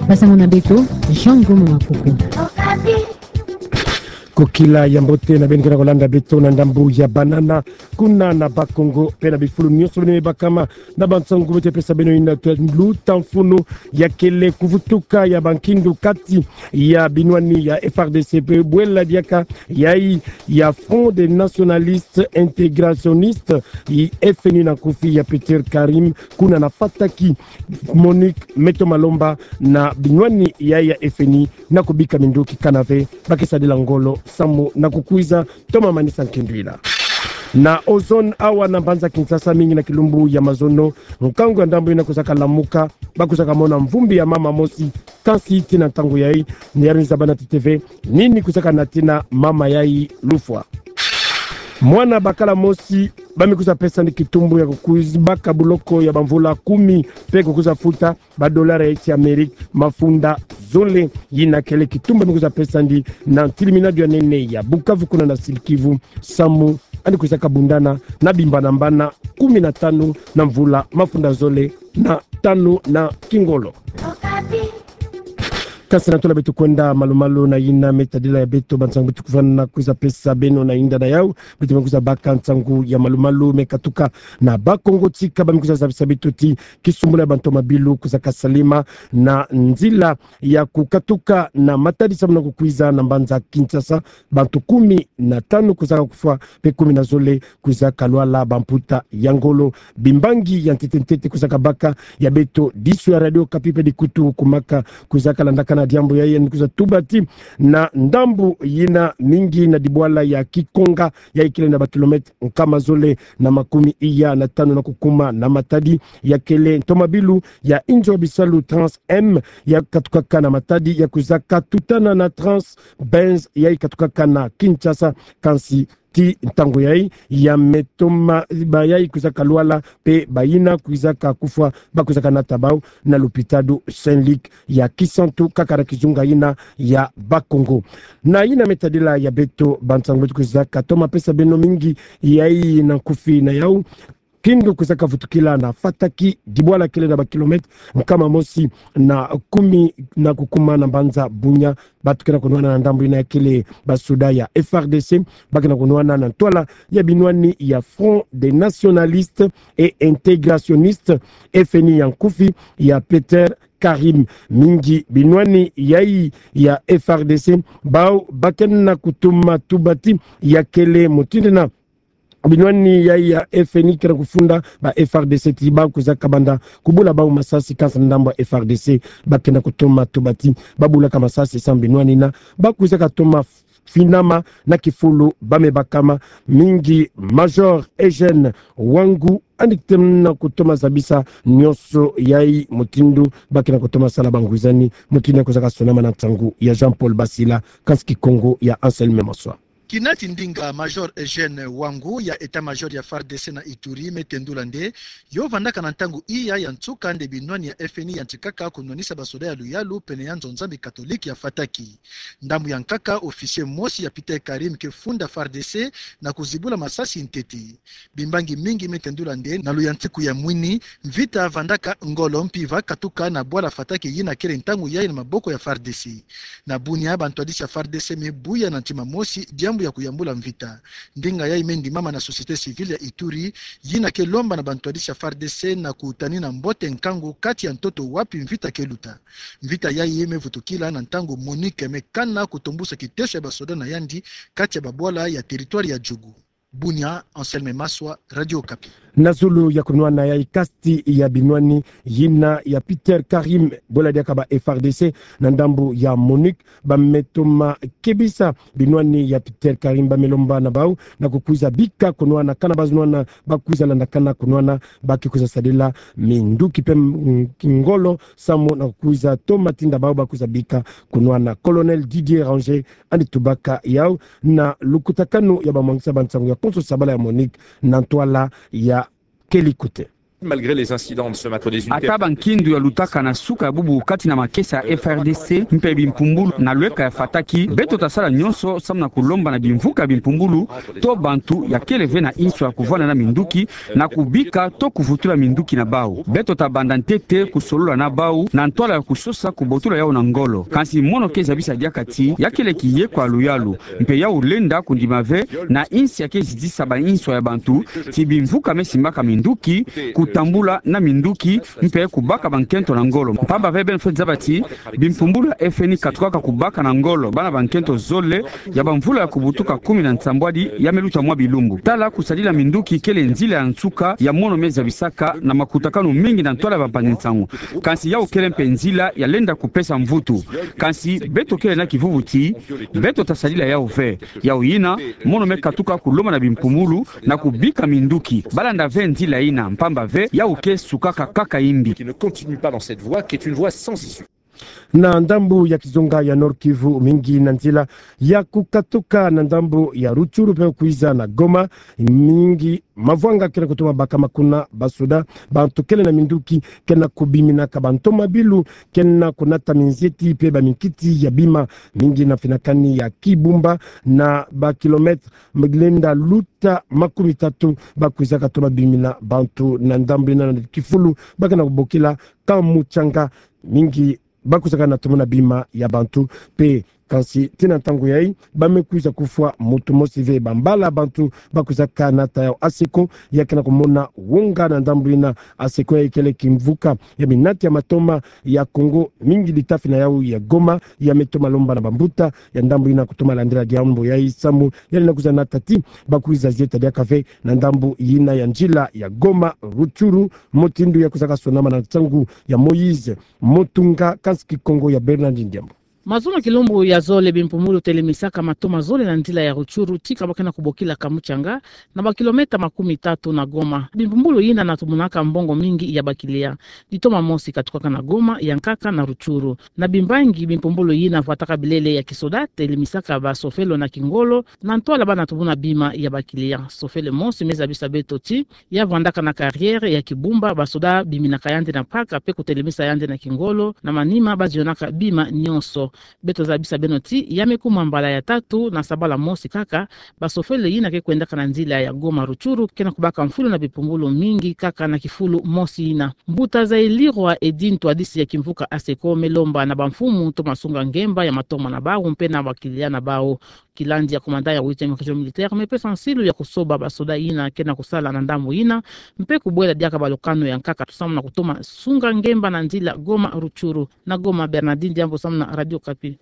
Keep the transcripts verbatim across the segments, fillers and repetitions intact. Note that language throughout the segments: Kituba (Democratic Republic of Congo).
Basango na beto, Jean Ngomo Makuku. Kokila ya mbote na beno ke na kolanda beto na ndambu ya banana, kuna na Bas-Congo, pe na bifulu nyonso beno me bakama, na bansangu beto pesa beno ina twe luta mfunu ya kele kuvutuka ya bankindu kati ya binwani ya F R D C pe bwela diaka yayi ya Front des Nationalistes Intégrationnistes, i F N I na nkufi ya Peter Karim, kuna na Fataki. Monique Meto Malomba na binwani yayi ya F N I na kubika minduki kana ve ba ke sadila ngolo samu na kukwiza toma manisa nkindu ina. Na ozone awa na mbanza Kinshasa mingi na kilumbu ya mazono, nkangu ya ndambu ina kwizaka lamuka, ba kwizaka mona mvumbi ya mama mosi, kansi tii na ntangu yayi, ni yari nzabana ti te ve nini kwizaka natina mama yayi lufwa. Mwana bakala mosi ba me kwiza pesa ni kitumbu ya kukwiza baka buloko ya bamvula kumi, pe kukwiza futa ba dollar ya isi Amérique mafunda zole. Yina kele kitumbu ba me kwiza pesa ndi na ntiliminadu ya nene ya Bukavu kuna na Sud-Kivu, samu andi kwizaka bundana na bimbanambana kumi na tanu na mvula mafunda zole na tanu na kingolo. Kansi na tola beto kwenda malu-malu na yina me tadila ya beto, bansangu beto kufwana kwiza pesa beno na yinda na yau, beto me kwiza baka nsangu ya malu-malu me katuka na Bas-Congo tika ba me kwiza zabisa beto ti kisumbula ya bantu mabilu kwizaka salama na nzila ya kukatuka na matadi samu na kukwiza na mbanza Kinshasa, bantu kumi na tanu kwizaka kufwa, pe kumi na zole kwizaka lwala bamputa ya ngolo. Bimbangi ya ntete-ntete kwizaka baka ya beto disu ya Radio Okapi pe dikutu kumaka kwizaka landakana diambu yayi, ni kwiza tuba ti na ndambu yina mingi na dibwala ya Kikonga, yayi kele na ba kilomètre nkama zole na makumi iya na tanu na kukuma na matadi, ya kele ntomabilu ya inzo bisalu Trans M ya katukaka na matadi, ya kwizaka tutana na Trans Benz yayi katukaka na Kinshasa. Kansi ti ntangu yayi ya me toma bayayi kwizaka lwala pe bayina kwizaka kufwa ba kwizaka nata bau na lupitalu Saint-Luc ya Kisantu, kaka na kizunga yina ya Bas-Congo. Na yina me tadila ya beto, bansangu beto kwizaka toma pesa beno mingi yayi na nkufi na yau. Kindu kwizaka vutukila na Fataki, dibwala kele na ba kilomètre nkama mosi na kumi na kukuma na mbanza Bunia. Bantu ke na kunwana na ndambu yina ya kele basoda ya F R D C, ba ke na kunwana na ntwala ya binwani ya Front des Nationalistes et Intégrationnistes, F N I ya nkufi ya Peter Karim. Mingi binwani yayi ya F R D C, bau ba ke na kutoma tuba ti ya kele mutindu yina binwani yayi ya F N I ke na kufunda ba F R D C ti ba kwizaka banda kubula bau masasi, kansi na ndambu ya F R D C ba ke na kutoma tuba ti ba bulaka masasi samu binwani yina ba kwizaka toma finama na kifulu ba me bakama. Mingi Major Eugène Wangu andi ke na kutoma zabisa nyonso yayi mutindu ba ke na kutoma sala bangwizani, mutindu yina kwizaka sonama na nsangu ya Jean-Paul Basila, kansi Kikongo ya Anselme Maswa. Kina ti ndinga Major Eugène Wangu ya État-Major ya F A R D C na Ituri me tendula nde, yo vandaka na ntangu iya ya nsuka nde binwani ya F N I yantikaka kunwanisa basoda ya luyalu pene ya nzo Nzambi catholique ya Fataki. Ndambu ya nkaka, officier mosi ya Peter Karim ke funda F A R D C na kuzibula masasi ntete. Bimbangi mingi me tendula nde na luyantiku ya mwini, mvita vandaka ngolo mpimpa katuka na bwala Fataki yina kele ntangu yayi na maboko ya F A R D C. Na Bunia, bantwadisi ya F A R D C me buya na ntima mosi diambu ya kuyambula mvita. Ndinga yayi me ndimama na société civile ya Ituri, yina ke lomba na bantwadisi ya F A R D C na kutanina mbote nkangu kati ya ntoto wapi mvita ke luta. Mvita yayi me vutukila na ntangu MONUC me kana kutombusa kiteso ya basoda na yandi kati ya babwala ya territoire ya Djugu. Bunia, Anselme Maswa, Radio Okapi. Na zulu ya kunwana yayi, kasti ya binwani yina ya Peter Karim, bwela diaka ba F A R D C na ndambu ya MONUC, ba me toma kebisa binwani ya Peter Karim, ba me lomba na bau na kukwiza bika kunwana, kana ba zunwana ba kwiza landakana kunwana, ba ke kwiza sadila minduki pe, mm, ngolo samu na kukwiza toma tinda bau ba kwiza bika kunwana. Colonel Didier Ranger andi tubaka yau na lukutakanu ya bamwangisa bansangu ya konso sabala ya MONUC na ntwala ya Kelikute. Malgré les incidents de ce matin, des unités. Ata bankindu yalutaka na suka ya bubu kati na makesa ya F R D C mpe bimpumbulu na lweka ya fataki, beto tasala nyonso samu na kulomba na bimvuka ya bimpumbulu to bantu ya kele ve na inso ya kuvwanda na minduki na kubika to kuvutula minduki na bau. Beto tabanda ntete kusolola na bau na ntwala ya kusosa kubotula yau na ngolo. Kansi mono ke zabisa diaka ti ya kele kiye kwa luyalu, mpe yau lenda kundima ve na insi ya ke zitisa bainso ya bantu ti bimvuka me simbaka minduki, kutambula na minduki, mpe kubaka bankento na ngolo. Mpamba ve beno fweti zaba ti bimpumbulu ya F N I katukaka kubaka na ngolo bana bankento zole ya bamvula ya kubutuka kumi na nsambwadi ya me luta mwa bilumbu. Tala kusadila minduki kele nzila ya nsuka ya mono me zabisaka na makutakanu mingi na ntwala ya bampangi-nsangu. Kansi yau kele mpe nzila ya lenda kupesa mvutu. Kansi beto kele na kivuvu ti beto tasadila yau ve. Yau yina, mono me katuka kulomba na bimpumbulu na kubika minduki balanda ve nzila yina, mpamba ve yau ke sukaka kaka yimbi. Qui ne continue pas dans cette voie, qui est une voie sans issue. Na ndambu ya kizunga ya Nord-Kivu, mingi na nzila ya kukatuka na ndambu ya Rutshuru mpe kwiza na Goma, mingi mavwanga kena kutuma bakama kuna basoda, bantu kele na minduki kena kubiminaka, bantomabilu kena kunata minzieti mpe baminkiti ya bima, mingi na finakani ya Kibumba na ba kilomètres lenda luta makumi tatu, bakwizaka toma bimina bantu na ndambu yina na kifulu bakena kubokila Kamutshanga, mingi bakwizaka na tomona bima ya bantu mpe. Kansi tii na ntangu yayi, ba me kwiza kufwa muntu mosi ve. Bambala bantu bakwizaka nata yau ASECO, ya kena kumona wonga na ndambu yina. ASECO yayi kele kimvuka ya minati ya matoma ya Congo, mingi litafi na yau ya Goma. Ya me toma lomba na bambuta ya ndambu yina kutoma landila diambu yayi samu ya lenda kwiza nata ti bakwiza zieta diaka ve na ndambu yina ya nzila ya Goma Rutshuru, mutindu ya kwizaka sonama na nsangu ya Moïse Mutunga, kansi Kikongo ya Bernard Ndiambo. Mazono kilumbu ya zole bimpumbulu telemisaka matoma zole na nzila ya Rutshuru, tika ba kena kubokila Kamutshanga, na ba kilomètres makumi tatu na Goma. Bimpumbulu yina na tomonaka mbongo mingi ya ba clients. Ditoma mosi katukaka na Goma, ya nkaka na Rutshuru. Na bimbangi, bimpumbulu yina vwataka bilele ya kisoda telemisaka basofele na kingolo, na ntwala bana tomona bima ya ba clients. Sofele mosi me zabisa beto ti ya vwandaka na carrière ya Kibumba, basoda biminaka yandi na mpaka mpe kutelemisa yandi na kingolo, na manima bazionaka bima nyonso. Beto zabisa beno ti ya me kuma mbala ya tatu na sabala mosi kaka, basofele yina ke kwendaka na nzila ya Goma Rutshuru kena kubaka mfulu na bimpumbulu mingi kaka na kifulu mosi yina. Mbuta Zailirwa Eddy, ntwadisi ya kimvuka ASECO, me lomba na bamfumu toma sunga ngemba ya matoma na bau mpe na ba clients na bau. Kilandi ya commandant ya huitième région militaire me pesa nsilu ya kusoba basoda yina kena kusala na ndambu yina, mpe kubwela diaka balokano ya nkaka samu na kutoma sunga ngemba na nzila Goma Rutshuru. Na Goma, Bernardine Diambo samu na Radio Okapi.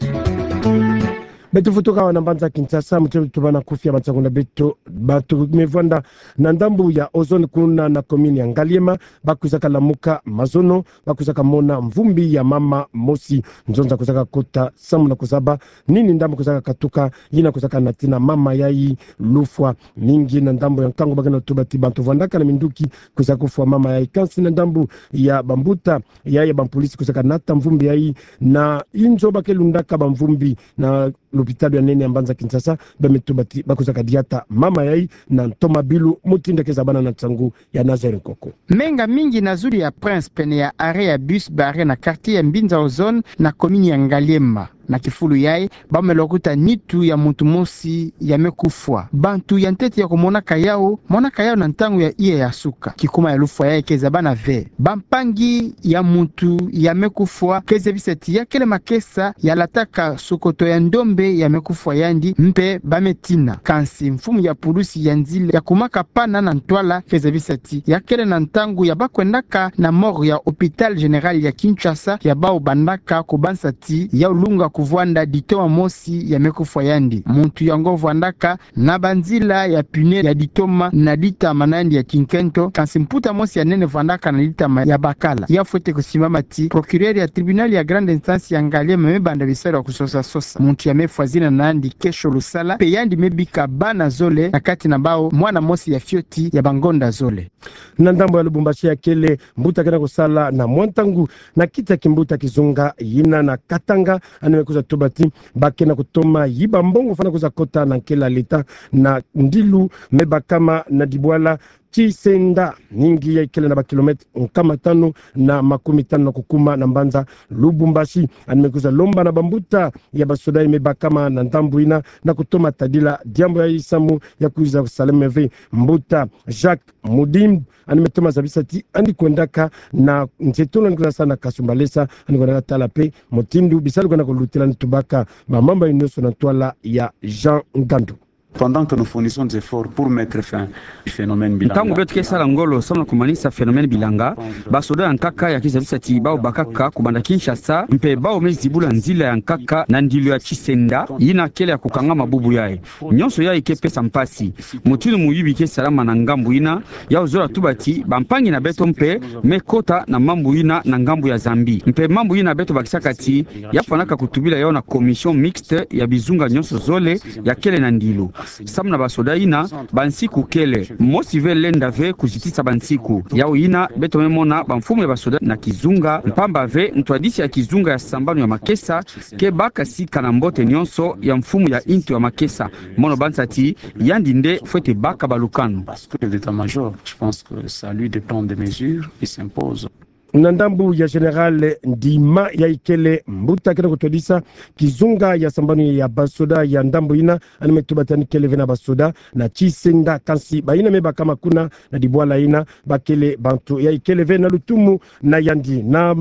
Beto futuka awa na mbanza Kinshasa, mutindu tubâna kufia bansangu na beto. Bantu me vwanda na ndambu ya Ozone kuna na commune ya Ngaliema bakwizaka lamuka mazono, bakwizaka mona mvumbi ya mama mosi. Nzonza kwizaka kota samu na kuzaba nini ndambu kwizaka katuka yina kwizaka natina mama yayi lufwa. Mingi na ndambu ya nkangu bakena tuba ti bantu vwandaka na minduki kwiza kufwa mama yayi. Kansi na ndambu ya bambuta yayi ya bampolisi kwizaka nata mvumbi yayi na inzo ba ke lundaka bamvumbi na lopitalo ya nene ya mbanza Kinshasa, ba me tuba ti bakwizaka diata mama yayi na ntomabilu, mutindu ke zabana na nsangu ya Nazaire Nkoko. Menga mingi na zulu ya Prince, pene ya arrêt ya bus barré na quartier ya Mbinza Ozone na commune ya Ngaliema. Na kifulu yayi, ba me lokuta nitu ya muntu mosi ya me kufwa. Bantu ya ntete ya kumonaka yau, monaka yau na ntangu ya iya ya suka. Kikuma ya lufwa yayi ke zabana ve. Bampangi ya muntu ya me kufwa ke zabisa ti ya kele makesa ya lataka sokoto ya ndombe ya me kufwa yandi, mpe ba me tina. Kansi mfumu ya pulusi ya nzila ya kumaka pana na ntwala ke zabisa ti ya kele na ntangu ya ba kwendaka na morgue ya hôpital général ya Kinshasa, ya bau bandaka kubansa ti yau lunga kuvwanda ditoma mosi ya me kufwa yandi. Muntu yango vwandaka na banzila ya pneu ya ditoma na litama na yandi ya kinkento, kansi mputa mosi ya nene vwandaka na litama ya bakala. Ya fwete kusimbama ti procureur ya tribunal ya grande instance ya Ngaliema me banda bisalu ya kusosa-sosa muntu ya me fwa zina na yandi Kesho Lusala, mpe yandi me bika bana zole, na kati na bau mwana mosi ya fioti ya bangonda zole. Na ndambu ya Lubumbashi, ya kele mbuta kena kusala na mwa ntangu na kiti ya kimbuta kizunga yina na Katanga, yandi me kwiza tuba ti ba kena kutoma yiba mbongo fwana kwiza kota na nkela leta na ndilu me bakama na dibwala Kisenda, ningi ya ikele na ba kilomètre nkama tanu na makumi tanu na kukuma na mbanza Lubumbashi. Yandi me kwiza lomba na bambuta ya basoda ya me bakama na ndambu yina na kutoma tadila diambu ya isamu ya kwiza kusalama ve. Mbuta Jacques Mudimbu, yandi me toma zabisa ti yandi kwendaka na nzeto na yandi kwiza sa na Kasumbalesa, yandi kwendaka tala mpe mutindu bisalu kwenda kulutila, yandi tubaka bamambu nyonso na ntwala ya Jean Ngandu. Pendant que nous fournissons des efforts pour mettre fin au phénomène bilanga. Ntangu beto ke sala ngolo samu na kumanisa phénomène bilanga, basoda ya nkaka ya kwiza zabisa ti bawu bakaka kubanda Kinshasa, mpe bawu me zibula nzila ya nkaka na ndilu ya Kisenda, yina kele ya kukangama bubu yayi. Nyonso yayi ke pesa mpasi. Mutindu muyubi ke salama na ngambu yina, ya zola tuba ti bampangi na beto mpe me kota na mambu yina na ngambu ya Zambie. Mpe mambu yina beto bakisaka ti ya fwanaka kutubila yawu na commission mixte ya bizunga nyonso zole ya kele na ndilu. Samu na basoda yina, bansiku kele, mosi ve lenda ve kuzitisa bansiku. Yawu yina beto me mona bamfumu ya basoda na kizunga, mpamba ve ntwadisi ya kizunga ya sambanu ya makesa ke baka sika na mbote nyonso ya mfumu ya intu ya makesa. Mono bansa ti yandi nde fwete baka balukanu. Parce que l'état-major, je pense que ça lui dépend des mesures qui s'imposent. Na ndambu ya Général Ndima ya ikele mbuta kena kutwadisa kizunga ya sambanu ya basoda ya ndambu yina, yandi me tuba ti yandi kele ve na basoda na Kisenda, kansi bayina me bakama kuna na dibwala yina bakele bantu ya ikele ve na lutumu na yandi. Na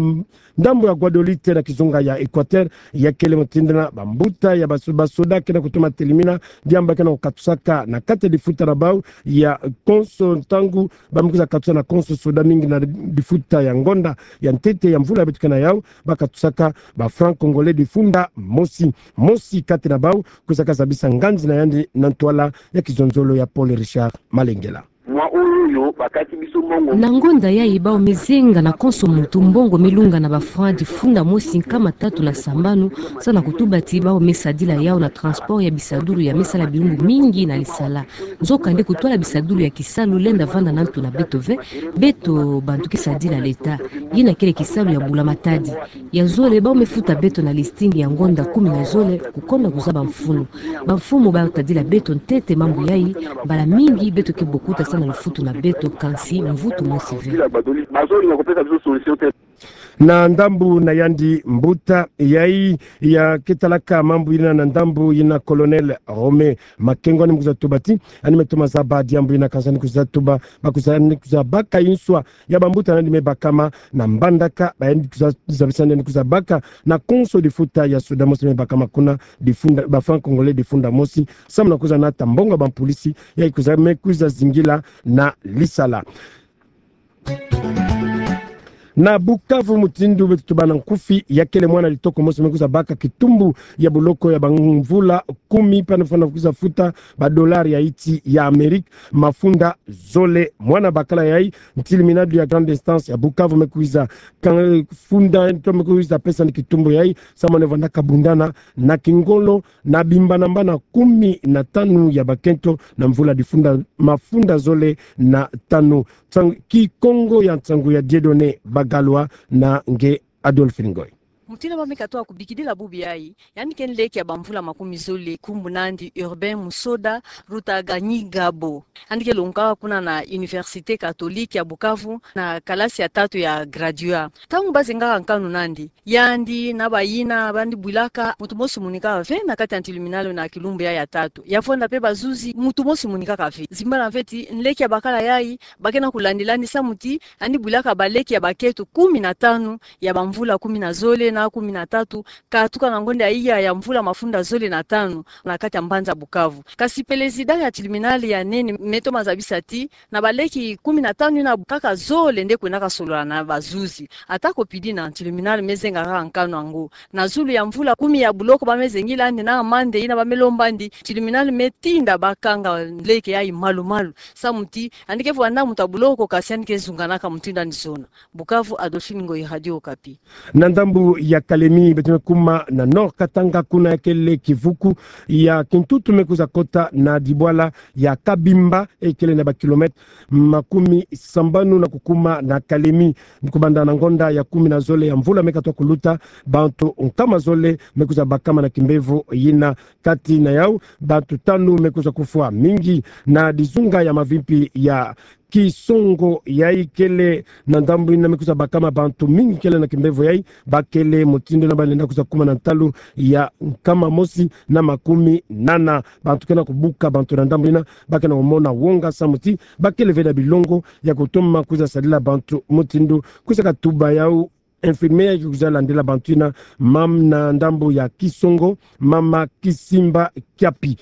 ndambu ya Guadeloupe na kizunga ya Équateur, ya kele mutindu yina bambuta ya baso-, basoda kena kutoma telimina diambu kena kukatusaka na kati ya difuta na bawu ya konso, ntangu ba me kwiza katusa na konso soda mingi na difuta ya ngonda ya ntete ya mvula beto ke na yawu, ba katusaka ba francs congolais difunda mosi. Mosi kati na bawu kwizaka zabisa nganzi na yandi na ntwala ya kizonzolo ya Paul Richard Malengela. Mwa oyo bakati biso mbongo. Na ngonda yayi bawu me zenga na konso muntu mbongo me lunga na ba francs difunda mosi nkama tatu na sambanu, samu na kutuba ti bawu me sadila yawu na transport ya bisadulu ya me sala bilumbu mingi na lisala. Nzokande kutwala bisadulu ya kisalu lenda vanda na ntu na beto ve, beto bantu ke sadila l'État. Yina kele kisalu ya bula matadi. Ya zole, bawu me futa beto na listing ya ngonda kumi na zole, kukonda kuzaba mfunu. Bamfumu ba tadila beto ntete mambu yayi, mbala mingi beto ke bokuta samu na lufutu na beto, kansi mvutu mosi ve. Na ndambu na yandi, mbuta yayi ya ke talaka mambu yina na ndambu yina, Colonel Romain Makengo, yandi me kwiza tuba ti yandi me toma zaba diambu yina, kansi yandi kwiza tuba, ba kwiza, yandi kwiza baka inswa ya bambuta na yandi me bakama na mbandaka, ba yandi kwiza zabisa yandi kwiza baka na konso difuta ya soda mosi me bakama kuna, difunda, ba francs congolais difunda mosi, samu na kwiza nata mbongo ya bampulisi ya kwiza, me kwiza zingila na lisala. Na Bukavu, mutindu beto tubâ na nkufi, ya kele mwana litoko mosi me kwiza baka kitumbu ya boloko ya bamvula kumi, mpe yandi fwana kwiza futa ba dollars ya insi ya Amérique mafunda zole. Mwana bakala yayi, ntilimina ya grande instance ya Bukavu me kwiza ka-, funda, to me kwiza pesa yandi kitumbu yayi, samu yandi vanda kabundana na kingolo na bimbanambana kumi na tanu ya bakento na mvula difunda, mafunda zole na tanu. Ntang-, Kikongo ya nsangu ya Dieudonné Bagalwa na nge Adolphine Ngoy. Mutindu ba me katoka kubikidila bubu yayi, yandi ke nleke ya bamvula makumi zole, nkumbu na yandi Urbain Musoda Rutaganyingabo. Yandi ke longokaka kuna na Université Catholique ya Bukavu na kalasi ya tatu ya graduat. Ntangu ba zengaka nkanu na yandi, yandi na bayina ba yandi bwilaka, muntu mosi monikaka ve na kati ya ntiluminalo na kilumbu ya, ya tatu. Ya vwanda mpe bazuzi, muntu mosi monikaka ve. Zimbana ve ti nleke ya bakala yayi, ba ke na kulandila yandi samu ti yandi bwilaka baleke ya bakento kumi na tanu ya bamvula kumi na zole na kumi na tatu, katuka na ngonda ya iya ya mvula mafunda zole na tanu na kati ya mbanza Bukavu. Kasi président ya ntiluminalo ya nene me toma zabisa ti na baleke kumi na tanu yina, kaka zole nde kwendaka solola na bazuzi. Atako pidi na ntiluminalo me zenga kaka nkanu yango. Na zulu ya mvula kumi ya boloko ba me zengila yandi na amande yina ba me lomba yandi, ntiluminalo me tinda ba kanga nleke yayi malu-malu. Samu ti yandi ke vwanda muntu ya boloko, kasi yandi ke zunganaka mutindu yandi zona. Bukavu, Adolphine Ngoyi, Radio Okapi. Na ndambu ya Kalemi, beto me kuma na Nord-Katanga, kuna ya kele kivuku ya kintutu me kwiza kota na dibwala ya Kabimba, e kele na bakilomètre makumi sambanu na kukuma na Kalemi. Kubanda na ngonda ya kumi na zole ya mvula me katoka kuluta, bantu nkama zole me kwiza bakama na kimbevo yina. Kati na yawu, bantu tanu me kwiza kufwa. Mingi na dizunga ya mavimpi ya Kisongo yai kele na ndambu ina me kwiza bakama bantu mingi kele na kimbevo yai, bakele mutindu na balenda kwiza kuma na ntalu ya nkama mosi na makumi nana. Bantu ke na kubuka bantu na ndambu ina, ba ke na kumona wonga samu ti bakele ve na bilongo ya kutoma kwiza sadila bantu mutindu. Kwiza katuba yau infirmière ke kwiza landila bantu ina, mama na ndambu ya Kisongo, mama Kisimba Kiapi.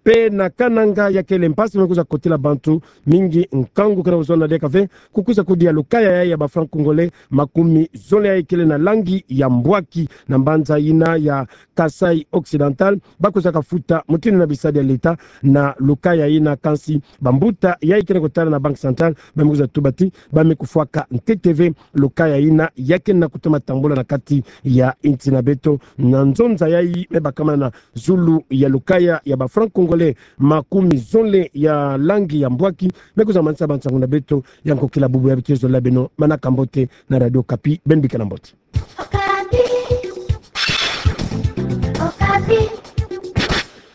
Pe na Kananga ya kele mpasi me kwiza kotila bantu mingi, nkangu ke na kuzona diaka ve, kukwiza kudia lukaya yai ya ba francs congolais makumi zole yai kele na langi ya mbwaki na mbanza ina ya Kasaï Occidental, ba kwiza kafuta mutindu na bisadi ya leta na lukaya ina, kansi bambuta yai ke na kutala na Banque Centrale ba me kwiza tuba ti ba me kufwaka ntete ve lukaya ina ya ke na kutoma tambula na kati ya insi na beto. Na nzonza yai me bakama na zulu ya lukaya ya ba francs congolais makumi zole ya langi ya mbwaki, me kwiza manisa bansangu na beto ya nkokila bubu ya beto. Zola beno, manaka mbote na Radio Okapi, beno bika na mbote.